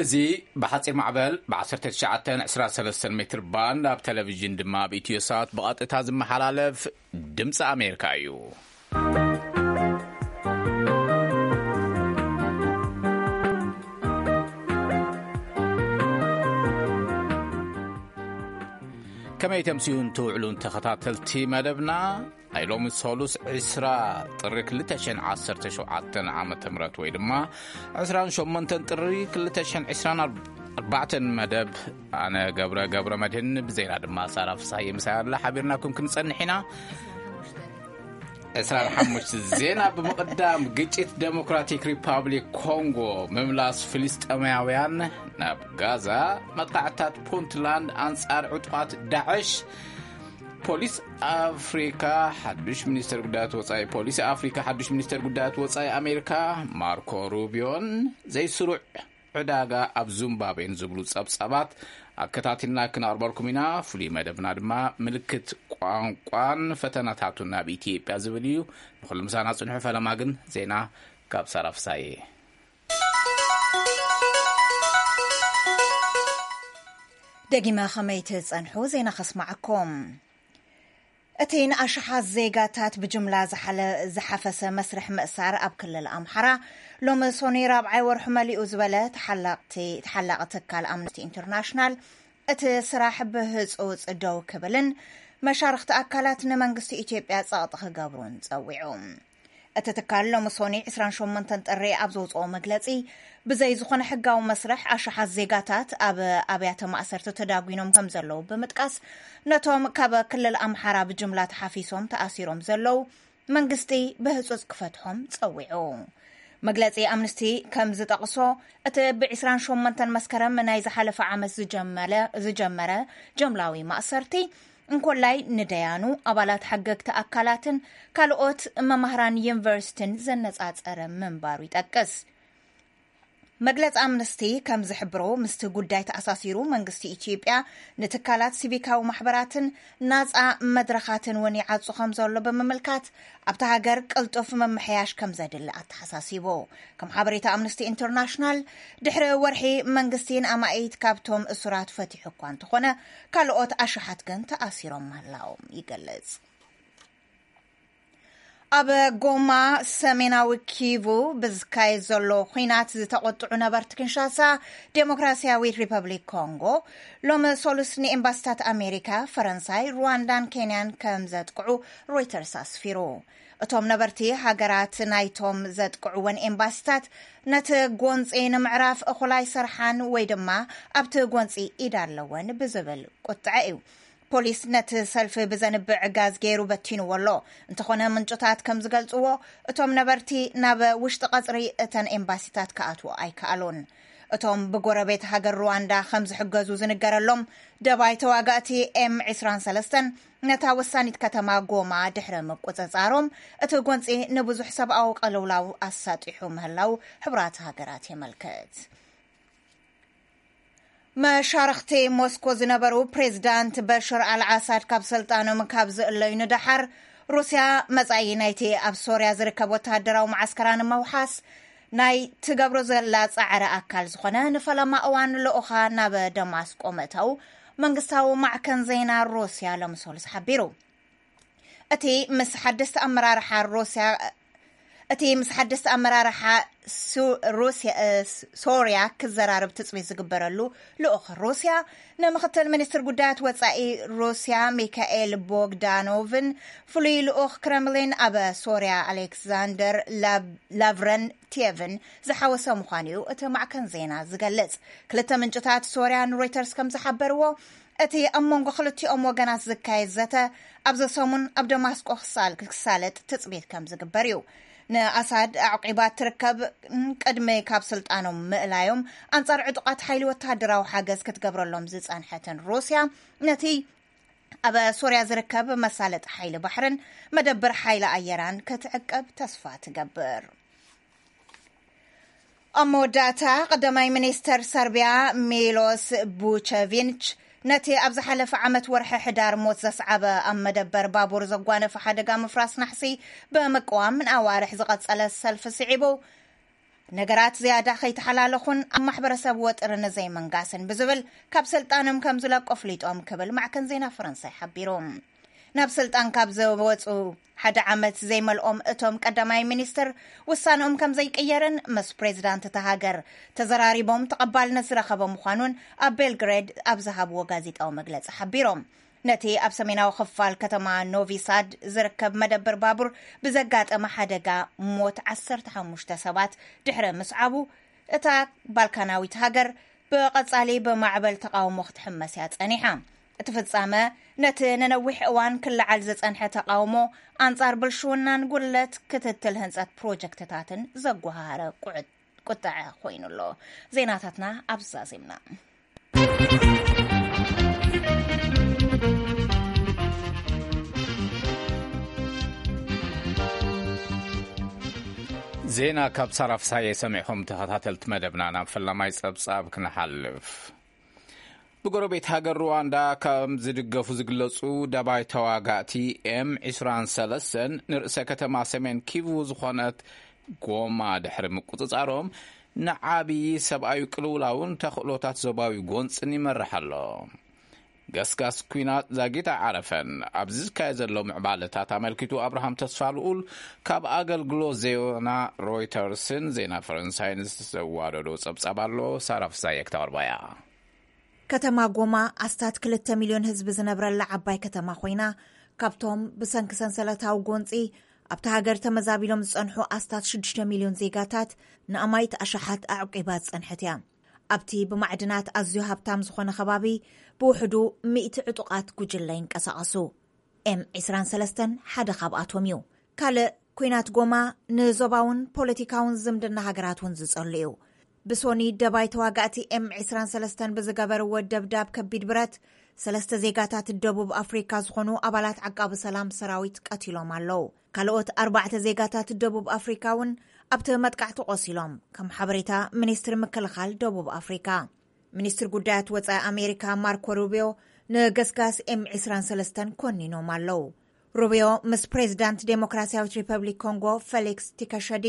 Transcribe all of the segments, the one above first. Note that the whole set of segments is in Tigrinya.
እዚ ብሓጺር ማዕበል ብ1923 ሜትር ባንድ ኣብ ቴሌቪዥን ድማ ኣብ ኢትዮ ሳት ብቐጥታ ዝመሓላለፍ ድምፂ ኣሜሪካ እዩ። ከመይ ተምስዩን ትውዕሉን ተኸታተልቲ መደብና? ናይ ሎሚ ሰሉስ 20 ጥሪ 2017 ዓመተ ምህረት ወይ ድማ 28 ጥሪ 2024 መደብ። ኣነ ገብረ ገብረ መድህን ብዜና ድማ ሳራ ፍሳይ ምሳይ ኣላ ሓቢርናኩም ክንጸንሕ ኢና። 25 ዜና ብምቕዳም፣ ግጭት ዴሞክራቲክ ሪፓብሊክ ኮንጎ፣ ምምላስ ፍልስጤማውያን ናብ ጋዛ፣ መጥቃዕታት ፑንትላንድ ኣንጻር ዕጡቓት ዳዕሽ፣ ፖሊስ ኣፍሪካ ሓዱሽ ሚኒስተር ጉዳያት ወፃኢ ፖሊሲ ኣፍሪካ ሓዱሽ ሚኒስተር ጉዳያት ወፃኢ ኣሜሪካ ማርኮ ሩቢዮን ዘይስሩዕ ዕዳጋ ኣብ ዙምባቤን ዝብሉ ጸብጻባት ኣከታቲልና ክነቕርበልኩም ኢና። ፍሉይ መደብና ድማ ምልክት ቋንቋን ፈተናታቱን ናብ ኢትዮጵያ ዝብል እዩ። ንኹሉ ምሳና ጽንሑ። ፈለማ ግን ዜና ካብ ሳራ ፍሳዬ። ደጊመ ከመይ ትጸንሑ ዜና ከስማዓኩም። እቲ ንኣሽሓት ዜጋታት ብጅምላ ዝሓለ-፣ ዝሓፈሰ መስርሕ ምእሳር ኣብ ክልል ኣምሓራ ሎሚ ሶኒ ራብዓይ ወርሑ መሊኡ ዝበለ ተሓላቕቲ-፣ ተሓላቒ ትካል ኣምነስቲ ኢንተርናሽናል እቲ ስራሕ ብህጹጽ ደው ክብልን መሻርኽቲ ኣካላት ንመንግስቲ ኢትዮጵያ ጸቕጢ ክገብሩን ጸዊዑ። እቲ ትካል ሎሚ ሶኒ 28 ጥሪ ኣብ ዘውፅኦ መግለፂ፣ ብዘይ ዝኾነ ሕጋዊ መስርሕ ኣሽሓት ዜጋታት ኣብ ኣብያተ ማእሰርቲ ተዳጒኖም ከም ዘለዉ ብምጥቃስ፣ ነቶም ካብ ክልል ኣምሓራ ብጅምላ ተሓፊሶም ተኣሲሮም ዘለዉ መንግስቲ ብህፁፅ ክፈትሖም ፀዊዑ። መግለፂ ኣምነስቲ ከም ዝጠቕሶ፣ እቲ ብ28 መስከረም ናይ ዝሓለፈ ዓመት ዝጀመለ-፣ ዝጀመረ ጀምላዊ ማእሰርቲ፣ እንኮላይ ንደያኑ፣ ኣባላት ሓገግቲ ኣካላትን ካልኦት መማህራን ዩኒቨርሲቲን ዘነጻጸረ ምንባሩ ይጠቅስ። መግለጺ ኣምነስቲ ከም ዝሕብሮ፣ ምስቲ ጉዳይ ተኣሳሲሩ መንግስቲ ኢትዮጵያ ንትካላት ሲቪካዊ ማሕበራትን ናጻ መድረኻትን እውን ይዓጹ ከም ዘሎ ብምምልካት፣ ኣብታ ሃገር ቅልጡፍ ምምሕያሽ ከም ዘድሊ ኣተሓሳሲቡ። ከም ሓበሬታ ኣምነስቲ ኢንተርናሽናል፣ ድሕሪ ወርሒ መንግስቲ ንኣማኢት ካብቶም እሱራት ፈቲሑ እኳ እንተኾነ፣ ካልኦት ኣሽሓት ግን ተኣሲሮም ምህላዎም ይገልጽ። ኣብ ጎማ ሰሜናዊ ኪቩ ብዝካየድ ዘሎ ኲናት ዝተቖጥዑ ነበርቲ ኪንሻሳ ዴሞክራሲያዊት ሪፐብሊክ ኮንጎ፣ ሎሚ ሰሉስ ንኤምባሲታት ኣሜሪካ፣ ፈረንሳይ፣ ሩዋንዳን ኬንያን ከም ዘጥቅዑ ሮይተርስ ኣስፊሩ። እቶም ነበርቲ፣ ሃገራት ናይቶም ዘጥቅዕወን ኤምባሲታት ነቲ ጎንጺ ንምዕራፍ እኹል ኣይሰርሓን ወይ ድማ ኣብቲ ጎንጺ ኢድ ኣለወን ብዝብል ቁጥዐ እዩ። ፖሊስ ነቲ ሰልፊ ብዘንብዕ ጋዝ ገይሩ በቲንዎ ኣሎ። እንተኾነ፣ ምንጭታት ከም ዝገልጽዎ፣ እቶም ነበርቲ ናብ ውሽጢ ቀጽሪ እተን ኤምባሲታት ክኣትዉ ኣይከኣሉን። እቶም ብጎረቤት ሃገር ሩዋንዳ ከም ዝሕገዙ ዝንገረሎም ደባይ ተዋጋእቲ ኤም 23 ነታ ወሳኒት ከተማ ጎማ ድሕሪ ምቁጽጻሮም፣ እቲ ጎንጺ ንብዙሕ ሰብኣዊ ቅልውላው ኣሳጢሑ ምህላው ሕቡራት ሃገራት የመልክት። መሻርኽቲ ሞስኮ ዝነበሩ ፕሬዚዳንት በሽር ኣልዓሳድ ካብ ስልጣኖም ካብ ዝእለዩ ንደሓር፣ ሩስያ መጻኢ ናይቲ ኣብ ሶርያ ዝርከብ ወተሃደራዊ መዓስከራ ንምውሓስ ናይ ትገብሮ ዘላ ጻዕሪ ኣካል ዝኾነ ንፈለማ እዋን ልኡኻ ናብ ደማስቆ ምእታው መንግስታዊ ማዕከን ዜና ሩስያ ሎሚ ሰሉስ ሓቢሩ። እቲ ምስ ሓደስቲ ኣመራርሓ ሩስያ፣ እቲ ምስ ሓደስቲ ኣመራርሓ ሱ-፣ ሩስያ፣ እ፣ ስ-፣ ሶርያ ክዘራረብ ትጽቢት ዝግበረሉ ልኡኽ ሩስያ፣ ንምኽትል ሚኒስትር ጉዳያት ወጻኢ ሩስያ ሚካኤል ቦግዳኖቭን ፍሉይ ልኡኽ ክረምሊን ኣብ ሶርያ ኣሌክሳንደር ላብ-፣ ላቭረንቲየቭን ዝሓወሰ ምዃኑ እዩ እቲ ማዕከን ዜና ዝገልጽ። ክልተ ምንጭታት ሶርያ ንሮይተርስ ከም ዝሓበርዎ፣ እቲ ኣብ መንጎ ክልቲኦም ወገናት ዝካየድ ዘተ፣ ኣብዚ ሰሙን ኣብ ደማስቆ ክሳል-፣ ክሳለጥ ትጽቢት ከም ዝግበር እዩ። ንኣሳድ ኣዕቂባ ትርከብ፣ ቅድሚ ካብ ስልጣኖም ምእላዮም፣ ኣንጻር ዕጡቓት ሓይሊ ወተሃደራዊ ሓገዝ ክትገብረሎም ዝጸንሐትን ሩስያ፣ ነቲ ኣብ ሶርያ ዝርከብ መሳለጢ ሓይሊ ባሕርን መደብር ሓይሊ ኣየራን ክትዕቀብ ተስፋ ትገብር። ኣብ መወዳእታ፣ ቀዳማይ ሚኒስተር ሰርቢያ ሚሎስ ቡቸቪንች ነቲ ኣብ ዝሓለፈ ዓመት ወርሒ ሕዳር ሞት ዘስዓበ ኣብ መደበር ባቡር ዘጓነፈ ሓደጋ ምፍራስ ናሕሲ ብምቅዋም ንኣዋርሕ ዝቐጸለ ሰልፊ ስዒቡ፣ ነገራት ዝያዳ ከይተሓላለኹን ኣብ ማሕበረሰብ ወጥሪ ንዘይምንጋስን ብዝብል ካብ ስልጣኖም ከም ዝለቁ ኣፍሊጦም ክብል ማዕከን ዜና ፈረንሳይ ሓቢሩ። ናብ ስልጣን ካብ ዝወፁ ሓደ ዓመት ዘይመልኦም እቶም ቀዳማይ ሚኒስትር ውሳንኦም ከም ዘይቅየርን ምስ ፕሬዚዳንት እታ ሃገር ተዘራሪቦም ተቐባልነት ዝረኸበ ምዃኑን ኣብ ቤልግሬድ ኣብ ዝሃብዎ ጋዜጣዊ መግለፂ ሓቢሮም። ነቲ ኣብ ሰሜናዊ ክፋል ከተማ ኖቪ ሳድ ዝርከብ መደብር ባቡር ብዘጋጠመ ሓደጋ ሞት ዓሰርተ ሓሙሽተ ሰባት ድሕሪ ምስዓቡ፣ እታ ባልካናዊት ሃገር ብቐጻሊ ብማዕበል ተቓውሞ ክትሕመስ እያ ጸኒሓ። እቲ ፍጻመ ነቲ ንነዊሕ እዋን ክለዓል ዝጸንሐ ተቓውሞ ኣንጻር ብልሽውናን ጉድለት ክትትል ህንጸት ፕሮጀክትታትን ዘጓሃረ ቁዕት- ቁጥዐ ኮይኑ ኣሎ። ዜናታትና ኣብዚ ዛዚምና። ዜና ካብ ሳራ ፍሳየ ሰሚዕኹም። ተኸታተልቲ መደብና ናብ ፈላማይ ጸብጻብ ክንሓልፍ። ብጎረቤት ሃገር ሩዋንዳ ከም ዝድገፉ ዝግለጹ ደባይ ተዋጋእቲ ኤም ዕስራን ሰለስተን ንርእሰ ከተማ ሰሜን ኪቩ ዝኾነት ጎማ ድሕሪ ምቁጽጻሮም ንዓቢ ሰብኣዊ ቅልውላውን ተኽእሎታት ዞባዊ ጎንጽን ይመርሕ ኣሎ። ገስጋስ ኲናት ዛጊት ኣይዓረፈን። ኣብዚ ዝካየድ ዘሎ ምዕባለታት ኣመልኪቱ ኣብርሃም ተስፋ ልኡል ካብ ኣገልግሎት ዜና ሮይተርስን ዜና ፈረንሳይን ዝተዋደዶ ጸብጻብ ኣሎ። ሳራ ፍሳየ ክተቕርባ እያ። ከተማ ጎማ ኣስታት ክልተ ሚልዮን ህዝቢ ዝነብረላ ዓባይ ከተማ ኮይና፣ ካብቶም ብሰንኪ ሰንሰለታዊ ጎንጺ ኣብታ ሃገር ተመዛቢሎም ዝጸንሑ ኣስታት ሽዱሽተ ሚልዮን ዜጋታት ንኣማኢት ኣሽሓት ኣዕቂባ ዝጸንሐት እያ። ኣብቲ ብማዕድናት ኣዝዩ ሃብታም ዝኾነ ከባቢ ብውሕዱ ሚእቲ ዕጡቓት ጉጅለ ይንቀሳቐሱ። ኤም ዕስራን ሰለስተን ሓደ ካብኣቶም እዩ። ካልእ ኲናት ጎማ ንዞባውን ፖለቲካውን ዝምድና ሃገራት እውን ዝጸሉ እዩ። ብሶኒ ደባይ ተዋጋእቲ ኤም ዕስራን ሰለስተን ብዝገበርዎ ደብዳብ ከቢድ ብረት ሰለስተ ዜጋታት ደቡብ ኣፍሪካ ዝኾኑ ኣባላት ዓቃቢ ሰላም ሰራዊት ቀቲሎም ኣለዉ። ካልኦት ኣርባዕተ ዜጋታት ደቡብ ኣፍሪካ እውን ኣብቲ መጥቃዕቲ ቆሲሎም፣ ከም ሓበሬታ ሚኒስትሪ ምክልኻል ደቡብ ኣፍሪካ። ሚኒስትሪ ጉዳያት ወጻኢ ኣሜሪካ ማርኮ ሩቢዮ ንገስጋስ ኤም ዕስራን ሰለስተን ኮኒኖም ኣለዉ። ሩቢዮ ምስ ፕሬዚዳንት ዴሞክራሲያዊት ሪፐብሊክ ኮንጎ ፌሊክስ ቲከሸዲ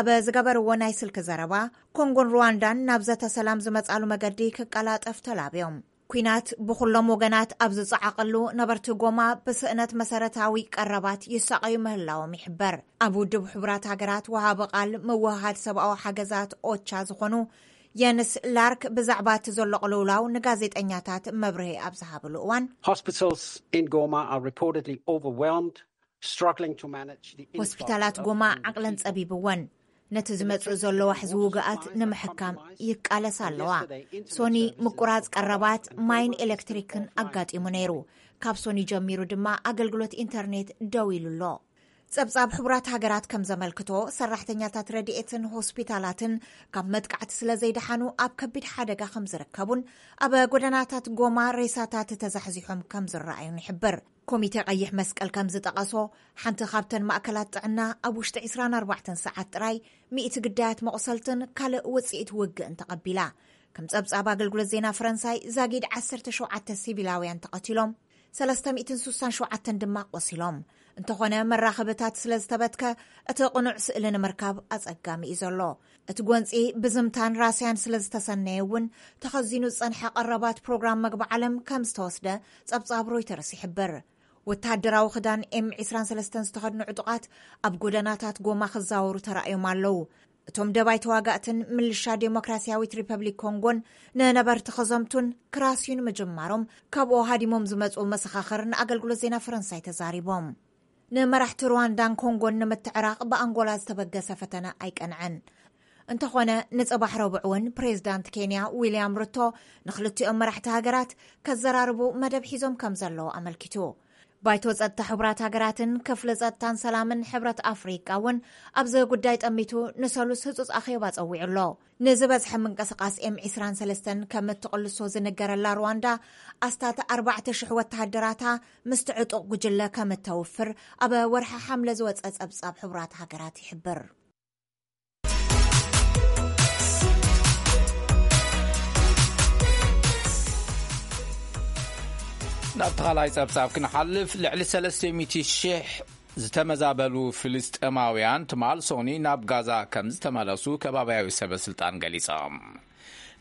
ኣብ ዝገበርዎ ናይ ስልኪ ዘረባ፣ ኮንጎን ሩዋንዳን ናብ ዘተ ሰላም ዝመጻሉ መገዲ ክቀላጠፍ ተላብዮም። ኲናት ብኹሎም ወገናት ኣብ ዝጸዓቐሉ፣ ነበርቲ ጎማ ብስእነት መሰረታዊ ቀረባት ይሳቐዩ ምህላዎም ይሕበር። ኣብ ውድብ ሕቡራት ሃገራት ወሃቢ ቃል ምውህሃድ ሰብኣዊ ሓገዛት ኦቻ ዝኾኑ የንስ ላርክ ብዛዕባ እቲ ዘሎ ቅልውላው ንጋዜጠኛታት መብርሂ ኣብ ዝሃብሉ እዋን፣ Hospitals in Goma are reportedly overwhelmed, struggling to manage the influx ሆስፒታላት of ጎማ new ዓቕለን people. ጸቢብወን፣ ነቲ ዝመጽእ ዘሎ ዋሕዚ ውግኣት ንምሕካም ይቃለሳ ኣለዋ። ሶኒ ምቁራጽ ቀረባት ማይን ኤሌክትሪክን ኣጋጢሙ ነይሩ። ካብ ሶኒ ጀሚሩ ድማ ኣገልግሎት ኢንተርኔት ደው ኢሉ ኣሎ። ጸብጻብ ሕቡራት ሃገራት ከም ዘመልክቶ፣ ሰራሕተኛታት ረድኤትን ሆስፒታላትን ካብ መጥቃዕቲ ስለ ዘይደሓኑ ኣብ ከቢድ ሓደጋ ከም ዝርከቡን ኣብ ጎደናታት ጎማ ሬሳታት ተዛሕዚሖም ከም ዝረኣዩን ይሕብር። ኮሚቴ ቀይሕ መስቀል ከም ዝጠቐሶ፣ ሓንቲ ካብተን ማእከላት ጥዕና ኣብ ውሽጢ ዕስራን ኣርባዕተን ሰዓት ጥራይ ሚእቲ ግዳያት መቑሰልትን ካልእ ውጽኢት ውግእን ተቐቢላ። ከም ጸብጻብ ኣገልግሎት ዜና ፈረንሳይ፣ ዛጊድ ዓሰርተ ሸውዓተ ሲቪላውያን ተቐቲሎም፣ ሰለስተ ሚእትን ስሳን ሸውዓተን ድማ ቆሲሎም። እንተኾነ፣ መራኸብታት ስለ ዝተበትከ፣ እቲ ቅኑዕ ስእሊ ንምርካብ ኣጸጋሚ እዩ ዘሎ። እቲ ጎንጺ ብዝምታን ራስያን ስለ ዝተሰነየ እውን፣ ተኸዚኑ ዝጸንሐ ቀረባት ፕሮግራም መግቢ ዓለም ከም ዝተወስደ ጸብጻብ ሮይተርስ ይሕብር። ወተሃደራዊ ክዳን ኤም ዕስራን ሰለስተን ዝተኸድኑ ዕጡቓት ኣብ ጎደናታት ጎማ ክዛወሩ ተራእዮም ኣለዉ። እቶም ደባይ ተዋጋእትን ምልሻ ዴሞክራሲያዊት ሪፐብሊክ ኮንጎን ንነበርቲ ከዘምቱን ክራስዩን ምጅማሮም፣ ካብኡ ሃዲሞም ዝመጹ መሰኻኽር ንኣገልግሎት ዜና ፈረንሳይ ተዛሪቦም። ንመራሕቲ ሩዋንዳን ኮንጎን ንምትዕራቕ ብኣንጎላ ዝተበገሰ ፈተነ ኣይቀንዐን። እንተኾነ፣ ንጽባሕ ረቡዕ እውን ፕሬዚዳንት ኬንያ ዊልያም ሩቶ ንክልቲኦም መራሕቲ ሃገራት ከዘራርቡ መደብ ሒዞም ከም ዘለዉ ኣመልኪቱ። ባይቶ ጸጥታ ሕቡራት ሃገራትን ክፍሊ ጸጥታን ሰላምን ሕብረት ኣፍሪቃ እውን ኣብዚ ጉዳይ ጠሚቱ ንሰሉስ ህጹጽ ኣኼባ ጸዊዑ ኣሎ። ንዝበዝሐ ምንቅስቓስ ኤም ዕስራን ሰለስተን ከም እትቕልሶ ዝንገረላ ሩዋንዳ፣ ኣስታት ኣርባዕተ ሽሕ ወተሃደራታ ምስቲ ዕጡቕ ጉጅለ ከም እተውፍር ኣብ ወርሒ ሓምለ ዝወጸ ጸብጻብ ሕቡራት ሃገራት ይሕብር። ናብ ተኻላይ ጸብጻብ ክንሓልፍ፣ ልዕሊ ሰለስተ ሚእቲ ሽሕ ዝተመዛበሉ ፍልስጤማውያን ትማል ሶኒ ናብ ጋዛ ከም ዝተመለሱ ከባብያዊ ሰበ ስልጣን ገሊጾም።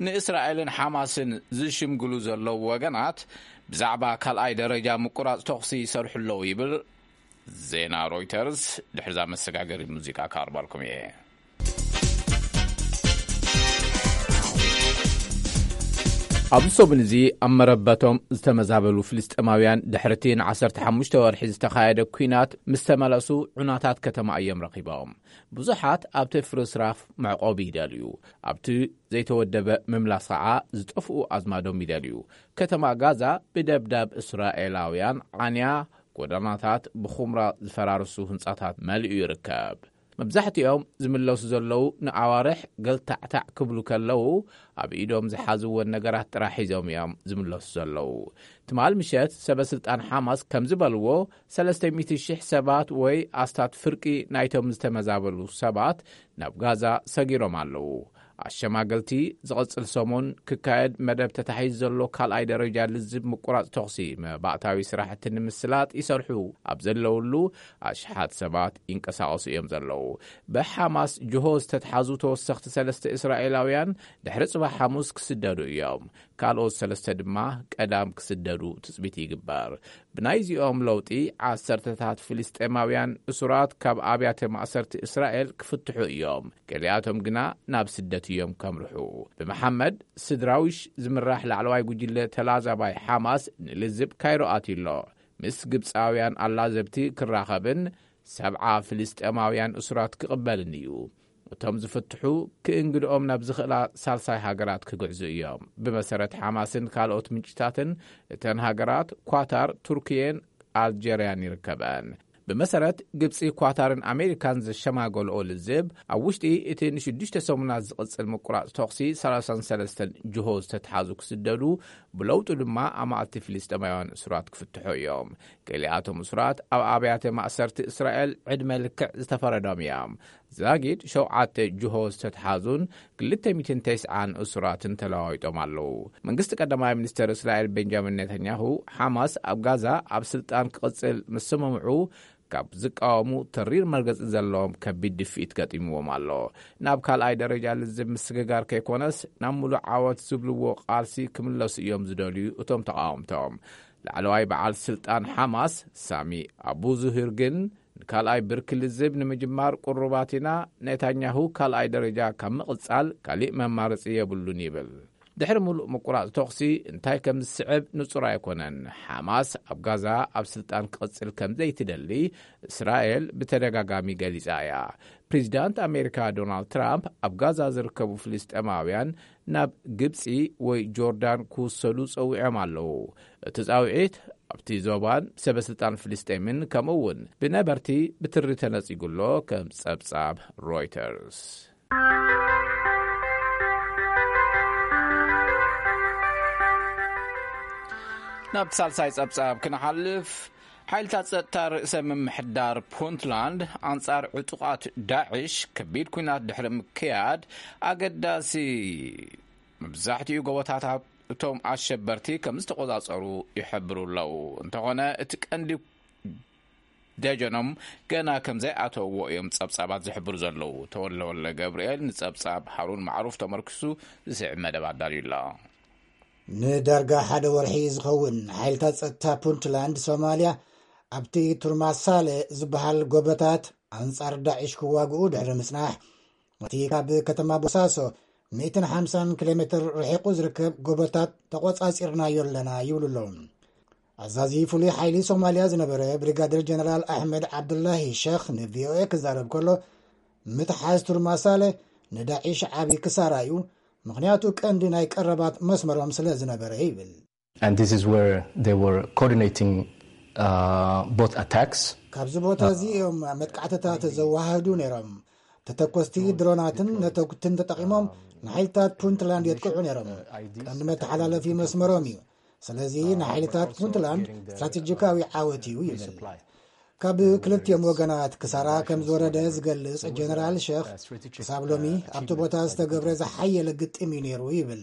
ንእስራኤልን ሓማስን ዝሽምግሉ ዘለዉ ወገናት ብዛዕባ ካልኣይ ደረጃ ምቁራጽ ተኹሲ ይሰርሑ ኣለዉ ይብል ዜና ሮይተርስ። ድሕርዛ መሰጋገሪ ሙዚቃ ካቕርበልኩም እየ። ኣብዚ ሰሙን እዚ ኣብ መረበቶም ዝተመዛበሉ ፍልስጤማውያን ድሕርቲ ን15 ወርሒ ዝተኻየደ ኲናት ምስ ተመለሱ ዑናታት ከተማ እዮም ረኺቦም። ብዙሓት ኣብቲ ፍርስራፍ መዕቆቢ ይደልዩ። ኣብቲ ዘይተወደበ ምምላስ ኸዓ ዝጠፍኡ ኣዝማዶም ይደልዩ። ከተማ ጋዛ ብደብዳብ እስራኤላውያን ዓንያ፣ ጎደናታት ብኹምራ ዝፈራርሱ ህንጻታት መሊኡ ይርከብ። መብዛሕትኦም ዝምለሱ ዘለዉ ንኣዋርሕ ገልታዕታዕ ክብሉ ከለዉ ኣብ ኢዶም ዝሓዝወን ነገራት ጥራሕ ሒዞም እዮም ዝምለሱ ዘለዉ። ትማል ምሸት ሰበ ስልጣን ሓማስ ከም ዝበልዎ ሰለስተ ሚእቲ ሽሕ ሰባት ወይ ኣስታት ፍርቂ ናይቶም ዝተመዛበሉ ሰባት ናብ ጋዛ ሰጊሮም ኣለዉ። ኣሸማገልቲ ዝቐጽል ሰሙን ክካየድ መደብ ተታሒዙ ዘሎ ካልኣይ ደረጃ ልዝብ ምቁራጽ ተኹሲ መባእታዊ ስራሕቲ ንምስላጥ ይሰርሑ ኣብ ዘለውሉ ኣሽሓት ሰባት ይንቀሳቐሱ እዮም ዘለዉ። ብሓማስ ጅሆ ዝተትሓዙ ተወሰኽቲ ሰለስተ እስራኤላውያን ድሕሪ ጽባሕ ሓሙስ ክስደዱ እዮም። ካልኦት ሰለስተ ድማ ቀዳም ክስደዱ ትጽቢት ይግበር። ብናይዚኦም ለውጢ ዓሰርተታት ፍልስጤማውያን እሱራት ካብ ኣብያተ ማእሰርቲ እስራኤል ክፍትሑ እዮም። ገሊኣቶም ግና ናብ ስደት እዮም ከምርሑ። ብመሓመድ ስድራዊሽ ዝምራሕ ላዕለዋይ ጉጅለ ተላዛባይ ሓማስ ንልዝብ ካይሮ ኣትዩ ኣሎ። ምስ ግብፃውያን ኣላዘብቲ ክራኸብን ሰብዓ ፍልስጤማውያን እሱራት ክቕበልን እዩ። እቶም ዝፍትሑ ክእንግድኦም ናብ ዝኽእላ ሳልሳይ ሃገራት ክግዕዙ እዮም። ብመሰረት ሓማስን ካልኦት ምንጭታትን እተን ሃገራት ኳታር፣ ቱርክየን ኣልጀርያን ይርከበን። ብመሰረት ግብፂ፣ ኳታርን ኣሜሪካን ዘሸማገልኦ ልዝብ ኣብ ውሽጢ እቲ ንሽዱሽተ ሰሙናት ዝቕፅል ምቁራፅ ተኹሲ ሰላሳን ሰለስተን ጅሆ ዝተትሓዙ ክስደዱ፣ ብለውጡ ድማ ኣማእቲ ፍልስጤማውያን እሱራት ክፍትሑ እዮም። ገሊኣቶም እሱራት ኣብ ኣብያተ ማእሰርቲ እስራኤል ዕድመ ልክዕ ዝተፈረዶም እዮም። ዛጊድ ሸውዓተ ጅሆ ዝተትሓዙን ክልተ ሚእትን ተስዓን እሱራትን ተለዋዊጦም ኣለዉ። መንግስቲ ቀዳማይ ሚኒስተር እስራኤል ቤንጃሚን ኔታንያሁ፣ ሓማስ ኣብ ጋዛ ኣብ ስልጣን ክቕጽል ምስ ሰማምዑ፣ ካብ ዝቃወሙ ተሪር መርገጺ ዘለዎም ከቢድ ድፍኢት ገጢምዎም ኣሎ። ናብ ካልኣይ ደረጃ ልዝብ ምስግጋር ከይኮነስ፣ ናብ ምሉእ ዓወት ዝብልዎ ቃልሲ ክምለሱ እዮም ዝደልዩ እቶም ተቃወምቶም። ላዕለዋይ በዓል ስልጣን ሓማስ ሳሚ ኣቡ ዙሂር ግን፣ ንካልኣይ ብርኪ ልዝብ ንምጅማር ቅሩባት ኢና፣ ኔታንያሁ ካልኣይ ደረጃ ካብ ምቕጻል ካሊእ መማረጺ የብሉን ይብል። ድሕሪ ምሉእ ምቁራጽ ተኹሲ እንታይ ከም ዝስዕብ ንጹር ኣይኮነን። ሓማስ ኣብ ጋዛ ኣብ ስልጣን ክቕጽል ከም ዘይትደሊ እስራኤል ብተደጋጋሚ ገሊጻ እያ። ፕሬዚዳንት ኣሜሪካ ዶናልድ ትራምፕ ኣብ ጋዛ ዝርከቡ ፍልስጤማውያን ናብ ግብጺ ወይ ጆርዳን ክውሰዱ ጸዊዖም ኣለዉ። እቲ ጻውዒት ኣብቲ ዞባን ሰበ ስልጣን ፍልስጤምን ከምኡ እውን ብነበርቲ ብትሪ ተነጺጉ ኣሎ፣ ከም ጸብጻብ ሮይተርስ። ናብቲ ሳልሳይ ጸብጻብ ክንሓልፍ፣ ሓይልታት ጸጥታ ርእሰ ምምሕዳር ፑንትላንድ ኣንጻር ዕጡቓት ዳዕሽ ከቢድ ኲናት ድሕሪ ምክያድ፣ ኣገዳሲ መብዛሕትኡ ጎቦታት እቶም ኣሸበርቲ ከም ዝተቆጻጸሩ ይሕብሩ ኣለዉ። እንተኾነ፣ እቲ ቀንዲ ደጀኖም ገና ከም ዘይኣተውዎ እዮም ጸብጻባት ዝሕብሩ ዘለዉ። ተወልደ ወልደ ገብርኤል ንጸብጻብ ሃሩን ማዕሩፍ ተመርኪሱ ዝስዕብ መደብ ኣዳልዩ ኣሎ። ንዳርጋ ሓደ ወርሒ ዝኸውን ሓይልታት ጸጥታ ፑንትላንድ ሶማልያ ኣብቲ ቱርማሳለ ዝበሃል ጎቦታት ኣንጻር ዳዕሽ ክዋግኡ ድሕሪ ምጽናሕ፣ እቲ ካብ ከተማ ቦሳሶ ሚእትን ሓምሳን ኪሎ ሜትር ርሒቑ ዝርከብ ጎቦታት ተቖጻጺርናዮ ኣለና ይብሉ ኣለዉ። ኣዛዚ ፍሉይ ሓይሊ ሶማልያ ዝነበረ ብሪጋደር ጀነራል ኣሕመድ ዓብዱላሂ ሸኽ ንቪኦኤ ክዛረብ ከሎ፣ ምትሓዝ ቱርማሳለ ንዳዒሽ ዓቢ ክሳራ እዩ፣ ምኽንያቱ ቀንዲ ናይ ቀረባት መስመሮም ስለ ዝነበረ ይብል። And this is where they were coordinating, uh, both attacks. ካብዚ ቦታ እዚ እዮም መጥቃዕትታት ዘወሃህዱ ነይሮም። ተተኮስቲ ድሮናትን ነተጉትን ተጠቒሞም ንሓይልታት ፑንትላንድ የጥቅዑ ነይሮም። ቀንዲ መተሓላለፊ መስመሮም እዩ። ስለዚ ንሓይልታት ፑንትላንድ ስትራቴጂካዊ ዓወት እዩ ይብል። ካብ ክልቲኦም ወገናት ክሳራ ከም ዝወረደ ዝገልጽ ጀነራል ሸኽ፣ ክሳብ ሎሚ ኣብቲ ቦታ ዝተገብረ ዝሓየለ ግጥም እዩ ነይሩ ይብል።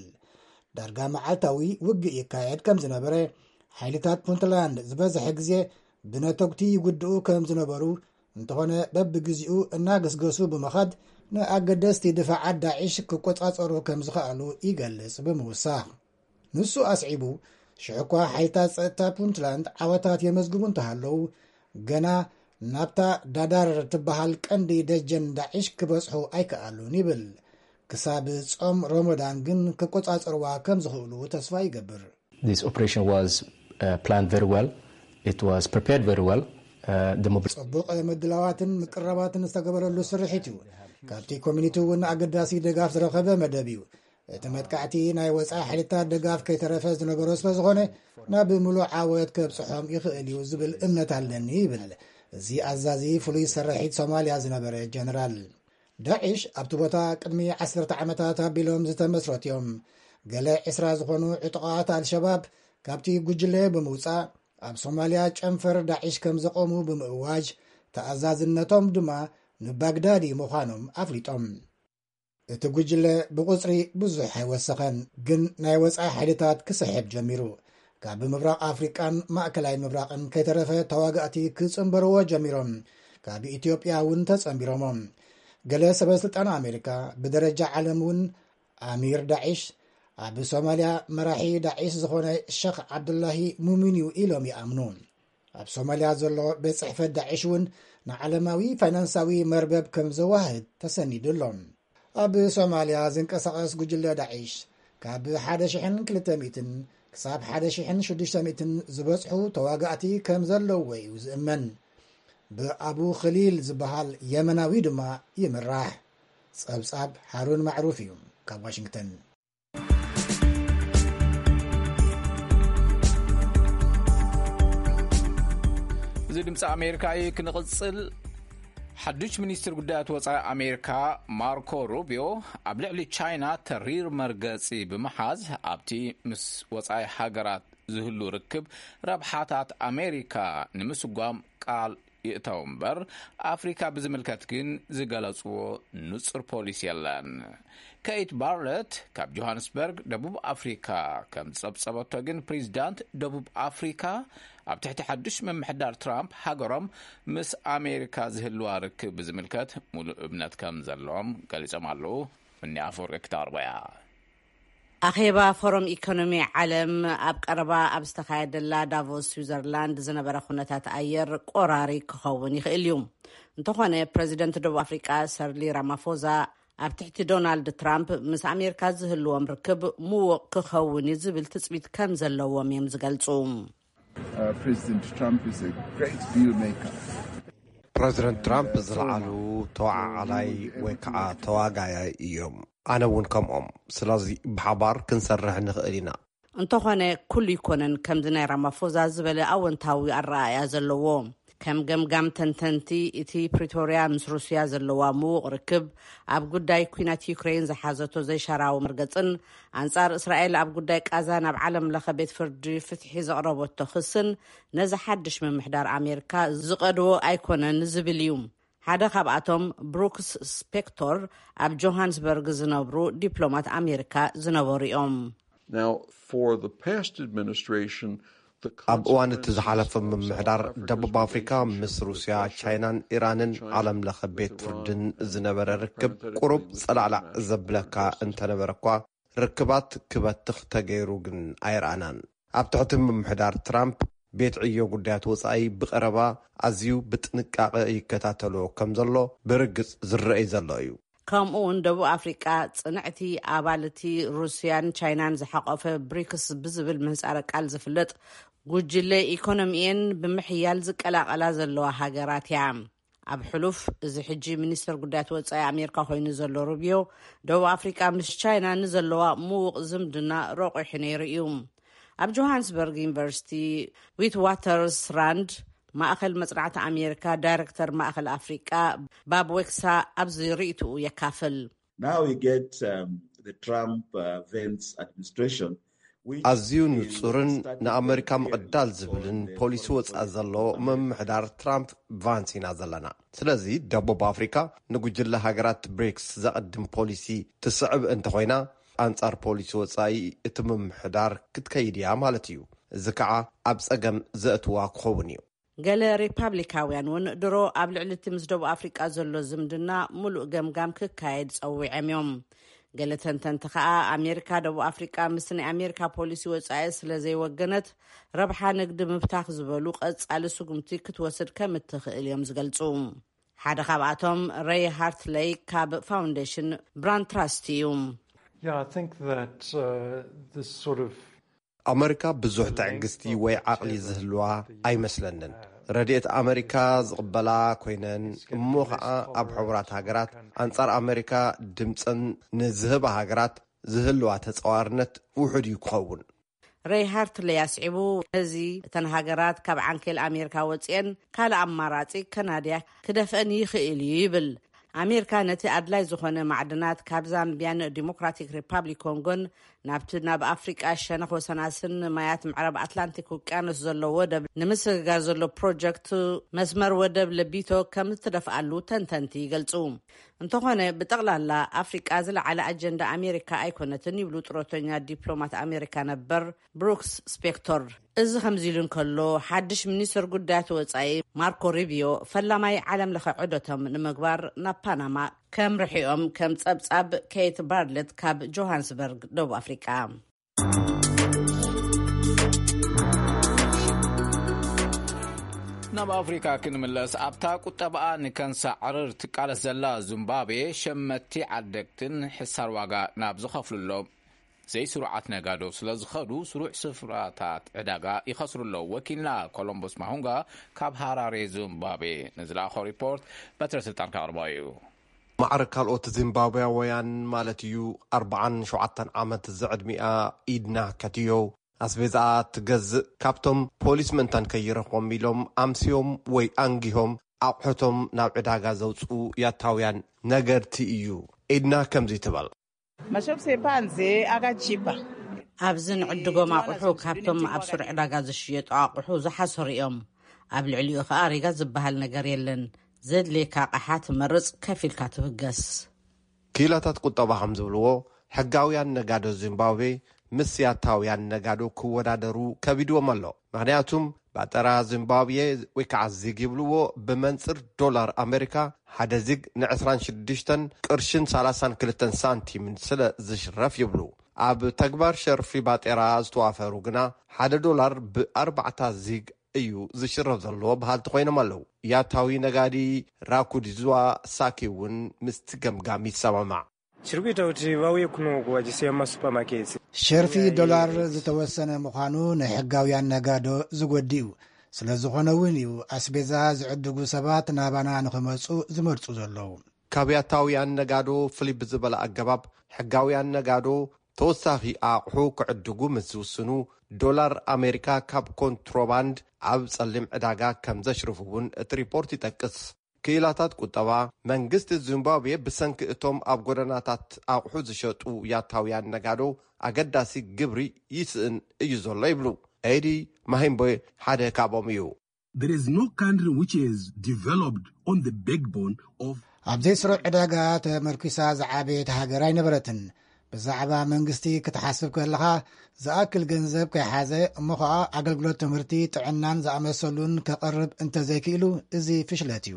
ዳርጋ መዓልታዊ ውግእ ይካየድ ከም ዝነበረ፣ ሓይልታት ፑንትላንድ ዝበዝሐ ግዜ ብነተጉቲ ይጉድኡ ከም ዝነበሩ፣ እንተኾነ በብግዜኡ እናገስገሱ ብምኻድ ንኣገደስቲ ድፋዓት ዳዒሽ ክቆጻጸሩ ከም ዝኸኣሉ ይገልጽ ብምውሳኽ። ንሱ ኣስዒቡ፣ ሽሕ እኳ ሓይልታት ጸጥታ ፑንትላንድ ዓወታት የመዝግቡ እንተሃለዉ፣ ገና ናብታ ዳዳር ትበሃል ቀንዲ ደጀን ዳዒሽ ክበጽሑ ኣይከኣሉን ይብል። ክሳብ ጾም ሮሞዳን ግን ክቆጻጸርዋ ከም ዝኽእሉ ተስፋ ይገብር። This operation was uh, planned very well. It was prepared very well. Uh, the mobil- ጽቡቕ ምድላዋትን ምቅረባትን ዝተገበረሉ ስርሒት እዩ። ካብቲ ኮሚኒቲ እውን ኣገዳሲ ድጋፍ ዝረኸበ መደብ እዩ። እቲ መጥቃዕቲ ናይ ወጻኢ ሓይልታት ድጋፍ ከይተረፈ ዝነበሮ ስለ ዝኾነ፣ ናብ ምሉእ ዓወት ከብጽሖም ይኽእል እዩ ዝብል እምነት ኣለኒ ይብል እዚ ኣዛዚ ፍሉይ ስርሒት ሶማልያ ዝነበረ ጀነራል። ዳዒሽ ኣብቲ ቦታ ቅድሚ ዓሰርተ ዓመታት ኣቢሎም ዝተመስረቱ እዮም። ገለ ዕስራ ዝኾኑ ዕጡቓት ኣልሸባብ ካብቲ ጉጅለ ብምውጻእ፣ ኣብ ሶማልያ ጨንፈር ዳዒሽ ከም ዘቖሙ ብምእዋጅ፣ ተኣዛዝነቶም ድማ ንባግዳዲ ምዃኖም ኣፍሊጦም። እቲ ጉጅለ ብቑጽሪ ብዙሕ ኣይወሰኸን፣ ግን ናይ ወጻኢ ሓይልታት ክስሕብ ጀሚሩ። ካብ ምብራቕ ኣፍሪቃን ማእከላይ ምብራቕን ከይተረፈ ተዋጋእቲ ክጽንበርዎ ጀሚሮም። ካብ ኢትዮጵያ እውን ተጸንቢሮሞም። ገለ ሰበ ስልጣን ኣሜሪካ፣ ብደረጃ ዓለም እውን ኣሚር ዳዒሽ፣ ኣብ ሶማልያ መራሒ ዳዒሽ ዝኾነ ሸኽ ዓብዱላሂ ሙሚን እዩ ኢሎም ይኣምኑ። ኣብ ሶማልያ ዘሎ ቤት ጽሕፈት ዳዒሽ እውን ንዓለማዊ ፋይናንሳዊ መርበብ ከም ዘዋህድ ተሰኒዱ ኣሎ። ኣብ ሶማልያ ዝንቀሳቐስ ጉጅለ ዳዒሽ ካብ ሓደ ሽሕን ክልተ ሚእትን ክሳብ ሓደ ሽሕን ሽዱሽተ ሚእትን ዝበጽሑ ተዋጋእቲ ከም ዘለውዎ እዩ ዝእመን። ብኣቡ ኸሊል ዝበሃል የመናዊ ድማ ይምራሕ። ጸብጻብ ሃሩን ማዕሩፍ እዩ ካብ ዋሽንግተን። እዚ ድምፂ ኣሜሪካ እዩ። ክንቕፅል፣ ሓዱሽ ሚኒስትር ጉዳያት ወፃኢ ኣሜሪካ ማርኮ ሩቢዮ ኣብ ልዕሊ ቻይና ተሪር መርገፂ ብምሓዝ ኣብቲ ምስ ወፃኢ ሃገራት ዝህሉ ርክብ ረብሓታት ኣሜሪካ ንምስጓም ቃል ይእተው እምበር ኣፍሪካ ብዝምልከት ግን ዝገለፅዎ ንፁር ፖሊሲ የለን። ኬት ባርለት ካብ ጆሃንስበርግ ደቡብ ኣፍሪካ ከም ዝፀብፀበቶ ግን ፕሬዚዳንት ደቡብ ኣፍሪካ ኣብ ትሕቲ ሓዱሽ ምምሕዳር ትራምፕ ሃገሮም ምስ ኣሜሪካ ዝህልዋ ርክብ ብዝምልከት ሙሉእ እምነት ከም ዘለዎም ገሊፆም ኣለዉ። እኒ ኣፈወርቂ ክታርቦያ ኣኼባ ፎረም ኢኮኖሚ ዓለም ኣብ ቀረባ ኣብ ዝተኻየደላ ዳቮስ ስዊዘርላንድ ዝነበረ ኩነታት ኣየር ቆራሪ ክኸውን ይኽእል እዩ። እንተኾነ ፕረዚደንት ደቡብ ኣፍሪቃ ሰርሊ ራማፎዛ ኣብ ትሕቲ ዶናልድ ትራምፕ ምስ ኣሜሪካ ዝህልዎም ርክብ ምዉቕ ክኸውን እዩ ዝብል ትጽቢት ከም ዘለዎም እዮም ዝገልጹ። President Trump is a great deal maker. ፕረዚደንት ትራምፕ ዝለዓሉ ተዋዓዓላይ ወይ ከዓ ተዋጋያይ እዮም። ኣነ እውን ከምኦም። ስለዚ ብሓባር ክንሰርሕ ንኽእል ኢና። እንተኾነ ኩሉ ይኮነን ከምዚ ናይ ራማፎዛ ዝበለ ኣወንታዊ ኣረኣእያ ዘለዎ። ከም ገምጋም ተንተንቲ እቲ ፕሪቶርያ ምስ ሩስያ ዘለዋ ምዉቕ ርክብ ኣብ ጉዳይ ኩናት ዩክሬን ዝሓዘቶ ዘይሻራዊ መርገጽን ኣንጻር እስራኤል ኣብ ጉዳይ ቃዛ ናብ ዓለም ለኸ ቤት ፍርዲ ፍትሒ ዘቕረበቶ ክስን ነዚ ሓድሽ ምምሕዳር ኣሜሪካ ዝቐድዎ ኣይኮነን ዝብል እዩ። ሓደ ካብኣቶም ብሩክስ ስፔክቶር ኣብ ጆሃንስበርግ ዝነብሩ ዲፕሎማት ኣሜሪካ ዝነበሩ እዮም። Now, for the past administration, ኣብ እዋን እቲ ዝሓለፈ ምምሕዳር ደቡብ ኣፍሪካ ምስ ሩስያ፣ ቻይናን ኢራንን ዓለም ለኸ ቤት ፍርድን ዝነበረ ርክብ ቁሩብ ጸላዕላዕ ዘብለካ እንተነበረ እኳ ርክባት ክበትኽ ተገይሩ ግን ኣይረኣናን። ኣብ ትሕቲ ምምሕዳር ትራምፕ ቤት ዕዮ ጉዳያት ወጻኢ ብቐረባ ኣዝዩ ብጥንቃቐ ይከታተሎ ከም ዘሎ ብርግጽ ዝረኣይ ዘሎ እዩ። ከምኡ እውን ደቡብ ኣፍሪቃ ጽንዕቲ ኣባል እቲ ሩስያን ቻይናን ዝሓቆፈ ብሪክስ ብዝብል ምህጻረ ቃል ዝፍለጥ ጉጅለ ኢኮኖሚየን ብምሕያል ዝቀላቐላ ዘለዋ ሃገራት እያ። ኣብ ሕሉፍ እዚ ሕጂ ሚኒስተር ጉዳያት ወጻኢ ኣሜሪካ ኮይኑ ዘሎ ሩቢዮ ደቡብ ኣፍሪቃ ምስ ቻይና ንዘለዋ ምዉቕ ዝምድና ረቑሑ ነይሩ እዩ። ኣብ ጆሃንስበርግ ዩኒቨርሲቲ ዊት ዋተርስ ራንድ ማእኸል መጽናዕቲ ኣሜሪካ ዳይረክተር ማእኸል ኣፍሪቃ ባብ ዌክሳ ኣብዚ ርእይትኡ የካፍል። Now we get um, the Trump uh, Vance administration. ኣዝዩ ንጹርን ንኣመሪካ ምቕዳል ዝብልን ፖሊሲ ወጻኢ ዘሎ ምምሕዳር ትራምፕ ቫንስ ኢና ዘለና። ስለዚ ደቡብ ኣፍሪካ ንጉጅለ ሃገራት ብሪክስ ዘቐድም ፖሊሲ ትስዕብ እንተኾይና ኣንጻር ፖሊሲ ወጻኢ እቲ ምምሕዳር ክትከይድ እያ ማለት እዩ። እዚ ከዓ ኣብ ጸገም ዘእትዋ ክኸውን እዩ። ገለ ሪፓብሊካውያን እውን ድሮ ኣብ ልዕሊ እቲ ምስ ደቡብ ኣፍሪቃ ዘሎ ዝምድና ምሉእ ገምጋም ክካየድ ጸዊዖም እዮም። ገለ ተንተንቲ ከኣ ኣሜሪካ ደቡብ ኣፍሪቃ ምስ ናይ ኣሜሪካ ፖሊሲ ወጻኢ ስለ ዘይወገነት፣ ረብሓ ንግዲ ምብታኽ ዝበሉ ቀጻሊ ስጉምቲ ክትወስድ ከም እትኽእል እዮም ዝገልጹ። ሓደ ካብኣቶም ሬይ ሃርትለይ ካብ ፋውንዴሽን ብራንድ ትራስት እዩ። Yeah, I think that uh, this sort of ኣመሪካ ብዙሕ ትዕግስቲ ወይ ዓቕሊ ዝህልዋ ኣይመስለንን። ረድኤት ኣመሪካ ዝቕበላ ኮይነን፣ እሞ ኸዓ ኣብ ሕቡራት ሃገራት ኣንጻር ኣመሪካ ድምፀን ንዝህባ ሃገራት ዝህልዋ ተጻዋርነት ውሑድ እዩ ክኸውን። ሬይ ሃርትለይ ኣስዒቡ፣ እዚ እተን ሃገራት ካብ ዓንኬል ኣሜሪካ ወጺኤን ካልእ ኣማራጺ ከናድያ ክደፍአን ይኽእል እዩ ይብል። ኣሜሪካ ነቲ ኣድላይ ዝኾነ ማዕድናት ካብ ዛምቢያን ዲሞክራቲክ ሪፓብሊክ ኮንጎን ናብቲ ናብ ኣፍሪቃ ሸነኽ ወሰናስን ማያት ምዕራብ ኣትላንቲክ ውቅያኖስ ዘሎ ወደብ ንምስግጋር ዘሎ ፕሮጀክት መስመር ወደብ ለቢቶ ከም እትደፍኣሉ ተንተንቲ ይገልጹ። እንተኾነ ብጠቕላላ ኣፍሪቃ ዝለዓለ ኣጀንዳ ኣሜሪካ ኣይኮነትን ይብሉ ጥሮተኛ ዲፕሎማት ኣሜሪካ ነበር ብሩክስ ስፔክቶር። እዚ ከምዚ ኢሉ እንከሎ፣ ሓድሽ ሚኒስትር ጉዳያት ወጻኢ ማርኮ ሩቢዮ ፈላማይ ዓለም ለኸ ዑደቶም ንምግባር ናብ ፓናማ ከምርሕኦም ከም ጸብጻብ ኬት ባርለት ካብ ጆሃንስበርግ ደቡብ ኣፍሪቃ። ናብ ኣፍሪካ ክንምለስ፣ ኣብታ ቁጠባኣ ንከንሳዕርር ትቃለስ ዘላ ዙምባብዌ፣ ሸመቲ ዓደግትን ሕሳር ዋጋ ናብ ዝኸፍሉሎም ዘይስሩዓት ነጋዶ ስለ ዝኸዱ፣ ስሩዕ ስፍራታት ዕዳጋ ይኸስሩ ኣለዉ። ወኪልና ኮሎምቦስ ማሁንጋ ካብ ሃራሬ ዙምባብዌ ንዝለኣኾ ሪፖርት በትረ ስልጣን ከቕርቦ እዩ። ማዕረ ካልኦት ዚምባብያውያን ማለት እዩ፣ ኣርባዓን ሸውዓተን ዓመት ዝዕድሚኣ ኢድና ከትዮ ኣስቤዛኣ ትገዝእ፣ ካብቶም ፖሊስ ምእንታን ከይረኽቦም ኢሎም ኣምስዮም ወይ ኣንጊሆም ኣቑሑቶም ናብ ዕዳጋ ዘውፅኡ ያታውያን ነገድቲ እዩ። ኢድና ከምዚ ትበል። Mashop sepanze akachipa ኣብዚ ንዕድጎም ኣቑሑ ካብቶም ኣብ ሱር ዕዳጋ ዝሽየጡ ኣቑሑ ዝሓሰሩ እዮም። ኣብ ልዕሊኡ ኸኣ ሪጋ ዝበሃል ነገር የለን። ዘድልየካ ኣቕሓ ትመርጽ፣ ከፊልካ ትብገስ። ክኢላታት ቁጠባ ከም ዝብልዎ፣ ሕጋውያን ነጋዶ ዚምባብዌ ምስ ያታውያን ነጋዶ ክወዳደሩ ከቢድዎም ኣሎ። ምኽንያቱም ባጠራ ዚምባብዌ ወይ ከዓ ዚግ ይብልዎ፣ ብመንፅር ዶላር ኣሜሪካ ሓደ ዚግ ን ዕስራን ሽዱሽተን ቅርሽን ሰላሳን ክልተን ሳንቲምን ስለ ዝሽረፍ ይብሉ። ኣብ ተግባር ሸርፊ ባጤራ ዝተዋፈሩ ግና ሓደ ዶላር ብኣርባዕታ ዚግ እዩ ዝሽረፍ ዘሎ በሃልቲ ኮይኖም ኣለዉ። ያታዊ ነጋዲ ራኩዲዝዋ ሳኪ እውን ምስቲ ገምጋም ይሰማማዕ። Chiri kuita kuti vauye kuno kuvachiseya mumasupamaketsi. ሸርፊ ዶላር ዝተወሰነ ምዃኑ ንሕጋውያን ነጋዶ ዝጎዲ እዩ። ስለ ዝኾነ እውን እዩ ኣስቤዛ ዝዕድጉ ሰባት ናባና ንኽመፁ ዝመርፁ ዘለዉ። ካብ ያታውያን ነጋዶ ፍልይ ብዝበለ ኣገባብ፣ ሕጋውያን ነጋዶ ተወሳኺ ኣቑሑ ክዕድጉ ምስ ዝውስኑ፣ ዶላር ኣሜሪካ ካብ ኮንትሮባንድ ኣብ ጸሊም ዕዳጋ ከም ዘሽርፉ እውን እቲ ሪፖርት ይጠቅስ። ክኢላታት ቁጠባ፣ መንግስቲ ዚምባብዌ ብሰንኪ እቶም ኣብ ጎደናታት ኣቑሑ ዝሸጡ ያታውያን ነጋዶ ኣገዳሲ ግብሪ ይስእን እዩ ዘሎ ይብሉ። ኤዲ ማሂምቦ ሓደ ካብኦም እዩ። There is no country which has developed on the backbone of ኣብ ዘይስሩዕ ዕዳጋ ተመርኪሳ ዝዓበየት ሃገር ኣይነበረትን። ብዛዕባ መንግስቲ ክትሓስብ ከለኻ፣ ዝኣክል ገንዘብ ከይሓዘ እሞ ኸኣ ኣገልግሎት ትምህርቲ፣ ጥዕናን ዝኣመሰሉን ከቕርብ እንተዘይክኢሉ፣ እዚ ፍሽለት እዩ።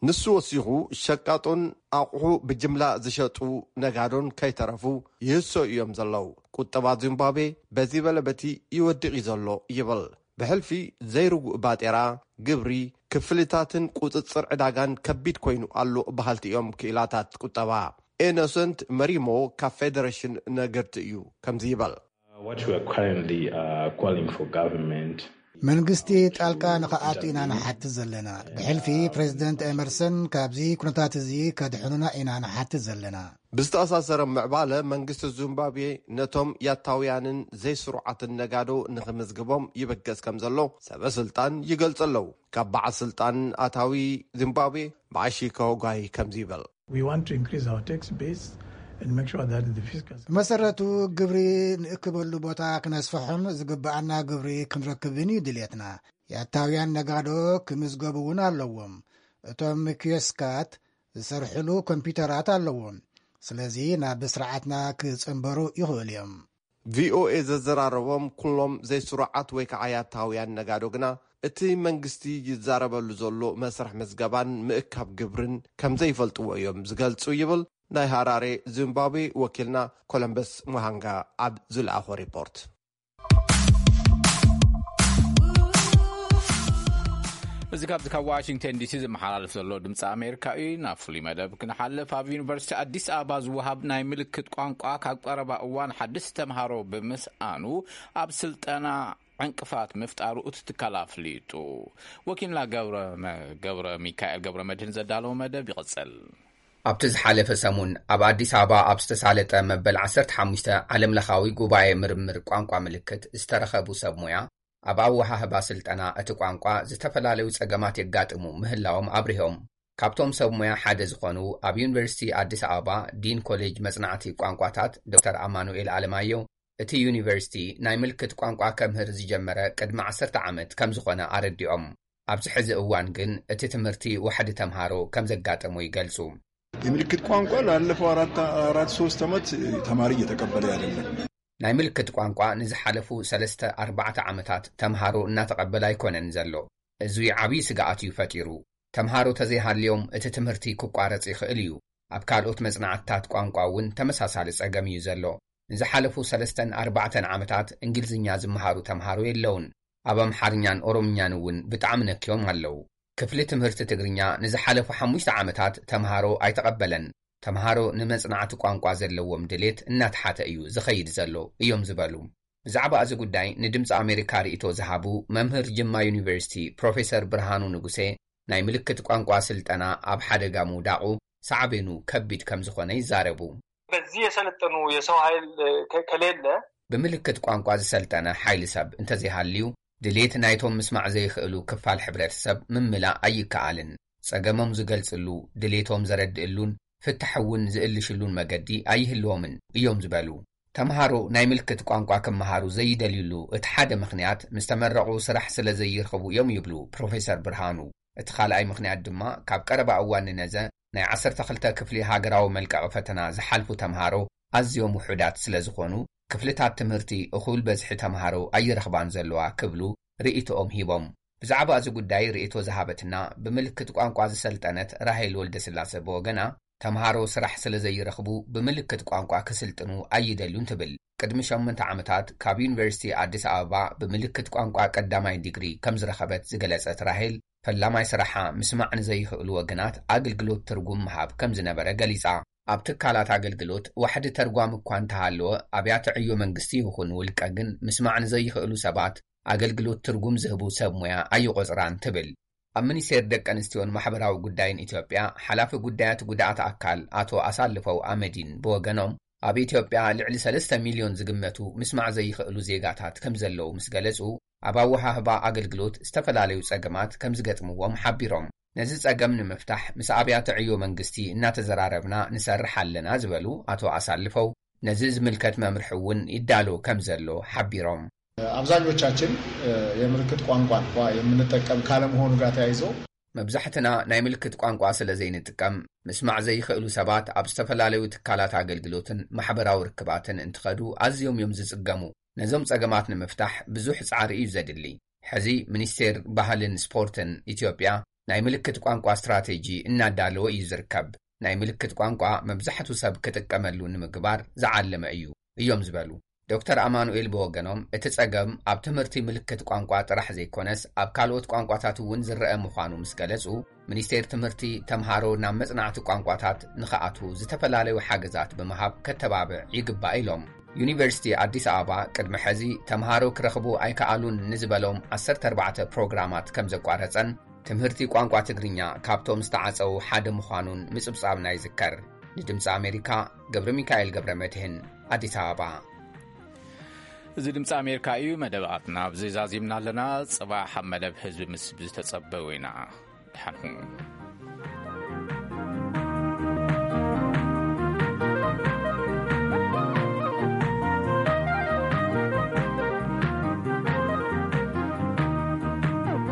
ንሱ ወሲኹ፣ ሸቃጦን ኣቑሑ ብጅምላ ዝሸጡ ነጋዶን ከይተረፉ ይህሰዩ እዮም ዘለዉ። ቁጠባ ዚምባብዌ በዚ በለ በቲ ይወድቕ እዩ ዘሎ ይብል። ብሕልፊ ዘይርጉእ ባጤራ፣ ግብሪ፣ ክፍሊታትን ቁጽጽር ዕዳጋን ከቢድ ኮይኑ ኣሎ በሃልቲ እዮም ክኢላታት ቁጠባ። ኢኖሰንት መሪሞ ካብ ፌደሬሽን ነገድቲ እዩ ከምዚ ይበል። What we are currently uh, calling for government መንግስቲ ጣልቃ ንኽኣቱ ኢና ንሓትት ዘለና። ብሕልፊ ፕሬዚደንት ኤመርሰን ካብዚ ኩነታት እዚ ከድሕኑና ኢና ንሓትት ዘለና። ብዝተኣሳሰረ ምዕባለ መንግስቲ ዚምባብዌ ነቶም ያታውያንን ዘይስሩዓትን ነጋዶ ንኽምዝግቦም ይብገስ ከም ዘሎ ሰበ ስልጣን ይገልጹ ኣለዉ። ካብ በዓል ስልጣን ኣታዊ ዚምባብዌ ብዓሺ ከወጓይ ከምዚ ይበል። We want to increase our tax base and make sure that the fiscal ብመሰረቱ ግብሪ ንእክበሉ ቦታ ክነስፍሖን ዝግብኣና ግብሪ ክንረክብን እዩ ድልየትና። የኣታውያን ነጋዶ ክምዝገቡ እውን ኣለዎም። እቶም ኪዮስካት ዝሰርሕሉ ኮምፒውተራት ኣለዎም። ስለዚ ናብ ስርዓትና ክጽንበሩ ይኽእሉ እዮም። ቪኦኤ ዘዘራረቦም ኩሎም ዘይስሩዓት ወይ ከዓ ያታውያን ነጋዶ ግና እቲ መንግስቲ ይዛረበሉ ዘሎ መስርሕ ምዝገባን ምእካብ ግብርን ከም ዘይፈልጥዎ እዮም ዝገልጹ ይብል ናይ ሃራሬ ዚምባብዌ ወኪልና ኮሎምበስ ሙሃንጋ ኣብ ዝለኣኾ ሪፖርት። እዚ ካብዚ ካብ ዋሽንግተን ዲሲ ዝመሓላለፍ ዘሎ ድምፂ ኣሜሪካ እዩ። ናብ ፍሉይ መደብ ክንሓልፍ፣ ኣብ ዩኒቨርሲቲ ኣዲስ ኣበባ ዝወሃብ ናይ ምልክት ቋንቋ ካብ ቀረባ እዋን ሓደስቲ ተምሃሮ ብምስኣኑ ኣብ ስልጠና ዕንቅፋት ምፍጣሩ እቲ ትካል ኣፍሊጡ። ወኪልና ገብረ መ- ገብረ ሚካኤል ገብረ መድህን ዘዳለወ መደብ ይቕጽል። ኣብቲ ዝሓለፈ ሰሙን ኣብ ኣዲስ ኣበባ ኣብ ዝተሳለጠ መበል ዓሰርተ ሓሙሽተ ዓለምለኻዊ ጉባኤ ምርምር ቋንቋ ምልክት ዝተረኸቡ ሰብ ሞያ፣ ኣብ ኣወሃህባ ስልጠና እቲ ቋንቋ ዝተፈላለዩ ጸገማት የጋጥሙ ምህላዎም ኣብሪሆም። ካብቶም ሰብ ሞያ ሓደ ዝኾኑ ኣብ ዩኒቨርሲቲ ኣዲስ ኣበባ ዲን ኮሌጅ መጽናዕቲ ቋንቋታት ዶክተር ኣማኑኤል ኣለማየሁ፣ እቲ ዩኒቨርሲቲ ናይ ምልክት ቋንቋ ከምህር ዝጀመረ ቅድሚ ዓሰርተ ዓመት ከም ዝኾነ ኣረዲኦም። ኣብዚ ሕዚ እዋን ግን እቲ ትምህርቲ ዋሕዲ ተምሃሮ ከም ዘጋጠሞ ይገልጹ። የምልክት ቋንቋ ላለፈው አራት አራት ሶስት ዓመት ተማሪ እየተቀበለ አይደለም። ናይ ምልክት ቋንቋ ንዝሓለፉ ሰለስተ ኣርባዕተ ዓመታት ተምሃሮ እናተቐበለ ኣይኮነን ዘሎ። እዙይ ዓብዪ ስግኣት እዩ ፈጢሩ። ተምሃሮ ተዘይሃልዮም እቲ ትምህርቲ ክቋረጽ ይኽእል እዩ። ኣብ ካልኦት መጽናዕትታት ቋንቋ እውን ተመሳሳሊ ጸገም እዩ ዘሎ። ንዝሓለፉ ሰለስተን ኣርባዕተን ዓመታት እንግሊዝኛ ዝመሃሩ ተምሃሮ የለውን። ኣብ ኣምሓርኛን ኦሮምኛን እውን ብጣዕሚ ነክዮም ኣለዉ። ክፍሊ ትምህርቲ ትግርኛ ንዝሓለፉ ሓሙሽተ ዓመታት ተምሃሮ ኣይተቐበለን። ተምሃሮ ንመጽናዕቲ ቋንቋ ዘለዎም ድሌት እናተሓተ እዩ ዝኸይድ ዘሎ እዮም ዝበሉ። ብዛዕባ እዚ ጉዳይ ንድምፂ ኣሜሪካ ርእይቶ ዝሃቡ መምህር ጅማ ዩኒቨርሲቲ ፕሮፌሰር ብርሃኑ ንጉሴ፣ ናይ ምልክት ቋንቋ ስልጠና ኣብ ሓደጋ ምውዳቑ ሳዕቤኑ ከቢድ ከም ዝኾነ ይዛረቡ። በዚህ የሰለጠኑ የሰው ኃይል ከ- ከሌለ ብምልክት ቋንቋ ዝሰልጠነ ሓይሊ ሰብ እንተዘይሃልዩ፣ ድሌት ናይቶም ምስማዕ ዘይኽእሉ ክፋል ሕብረተሰብ ምምላእ ኣይከኣልን። ጸገሞም ዝገልጽሉ፣ ድሌቶም ዘረድእሉን ፍታሕ እውን ዝእልሽሉን መገዲ ኣይህልዎምን እዮም ዝበሉ። ተምሃሮ ናይ ምልክት ቋንቋ ክመሃሩ ዘይደልዩሉ እቲ ሓደ ምኽንያት፣ ምስ ተመረቑ ስራሕ ስለ ዘይረኽቡ እዮም ይብሉ ፕሮፌሰር ብርሃኑ። እቲ ካልኣይ ምኽንያት ድማ፣ ካብ ቀረባ እዋን ንነዘ ናይ ዓሰርተ ክልተ ክፍሊ ሃገራዊ መልቀቒ ፈተና ዝሓልፉ ተምሃሮ ኣዝዮም ውሑዳት ስለ ዝኾኑ፣ ክፍልታት ትምህርቲ እኹል በዝሒ ተምሃሮ ኣይረኽባን ዘለዋ ክብሉ ርእይቶኦም ሂቦም። ብዛዕባ እዚ ጉዳይ ርእይቶ ዝሃበትና ብምልክት ቋንቋ ዝሰልጠነት ራሄል ወልደስላሰ ብወገና፣ ተምሃሮ ስራሕ ስለ ዘይረኽቡ ብምልክት ቋንቋ ክስልጥኑ ኣይደልዩን ትብል። ቅድሚ ሸሞንተ ዓመታት ካብ ዩኒቨርሲቲ ኣዲስ ኣበባ ብምልክት ቋንቋ ቀዳማይ ዲግሪ ከም ዝረኸበት ዝገለጸት ራሄል፣ ፈላማይ ስራሓ ምስማዕ ንዘይኽእሉ ወገናት ኣገልግሎት ትርጉም ምሃብ ከም ዝነበረ ገሊጻ። ኣብ ትካላት ኣገልግሎት ዋሕዲ ተርጓሚ እኳ እንተሃለወ፣ ኣብያተ ዕዮ መንግስቲ ይኹን ውልቀ ግን ምስማዕ ንዘይኽእሉ ሰባት ኣገልግሎት ትርጉም ዝህቡ ሰብ ሞያ ኣይቆጽራን ትብል። ኣብ ሚኒስቴር ደቂ ኣንስትዮን ማሕበራዊ ጉዳይን ኢትዮጵያ ሓላፊ ጉዳያት ጉድኣት ኣካል ኣቶ ኣሳልፈው ኣመዲን ብወገኖም፣ ኣብ ኢትዮጵያ ልዕሊ ሰለስተ ሚልዮን ዝግመቱ ምስማዕ ዘይኽእሉ ዜጋታት ከም ዘለዉ ምስ ገለጹ፣ ኣብ ኣወሃህባ ኣገልግሎት ዝተፈላለዩ ጸገማት ከም ዝገጥምዎም ሓቢሮም። ነዚ ጸገም ንምፍታሕ ምስ ኣብያተ ዕዮ መንግስቲ እናተዘራረብና ንሰርሕ ኣለና ዝበሉ ኣቶ ኣሳልፈው፣ ነዚ ዝምልከት መምርሒ እውን ይዳሎ ከም ዘሎ ሓቢሮም። አብዛኞቻችን የምልክት ቋንቋን የምንጠቀም ካለመሆኑ ጋር ተያይዞ መብዛሕትና ናይ ምልክት ቋንቋ ስለ ዘይንጥቀም፣ ምስማዕ ዘይኽእሉ ሰባት ኣብ ዝተፈላለዩ ትካላት ኣገልግሎትን ማሕበራዊ ርክባትን እንትኸዱ ኣዝዮም እዮም ዝጽገሙ። ነዞም ጸገማት ንምፍታሕ ብዙሕ ጻዕሪ እዩ ዘድሊ። ሕዚ ሚኒስቴር ባህልን ስፖርትን ኢትዮጵያ ናይ ምልክት ቋንቋ ስትራቴጂ እናዳለወ እዩ ዝርከብ። ናይ ምልክት ቋንቋ መብዛሕቱ ሰብ ክጥቀመሉ ንምግባር ዝዓለመ እዩ እዮም ዝበሉ ዶክተር ኣማኑኤል ብወገኖም፣ እቲ ጸገም ኣብ ትምህርቲ ምልክት ቋንቋ ጥራሕ ዘይኮነስ ኣብ ካልኦት ቋንቋታት እውን ዝረአ ምዃኑ ምስ ገለጹ፣ ሚኒስቴር ትምህርቲ ተምሃሮ ናብ መጽናዕቲ ቋንቋታት ንኽኣትዉ ዝተፈላለዩ ሓገዛት ብምሃብ ከተባብዕ ይግባእ ኢሎም። ዩኒቨርሲቲ ኣዲስ ኣበባ ቅድሚ ሕዚ ተምሃሮ ክረኽቡ ኣይከኣሉን ንዝበሎም ዓሰርተ ኣርባዕተ ፕሮግራማት ከም ዘቋረጸን፣ ትምህርቲ ቋንቋ ትግርኛ ካብቶም ዝተዓጸዉ ሓደ ምዃኑን ምጽብጻብና ይዝከር። ንድምፂ ኣሜሪካ ገብረ ሚካኤል ገብረ መድህን ኣዲስ ኣበባ። እዚ ድምፂ ኣሜሪካ እዩ። መደባትና ኣብዚ ዛዚምና ኣለና። ጽባሕ ኣብ መደብ ህዝቢ ምስ ዝተጸበው ኢና። ደሓን ሁኑ።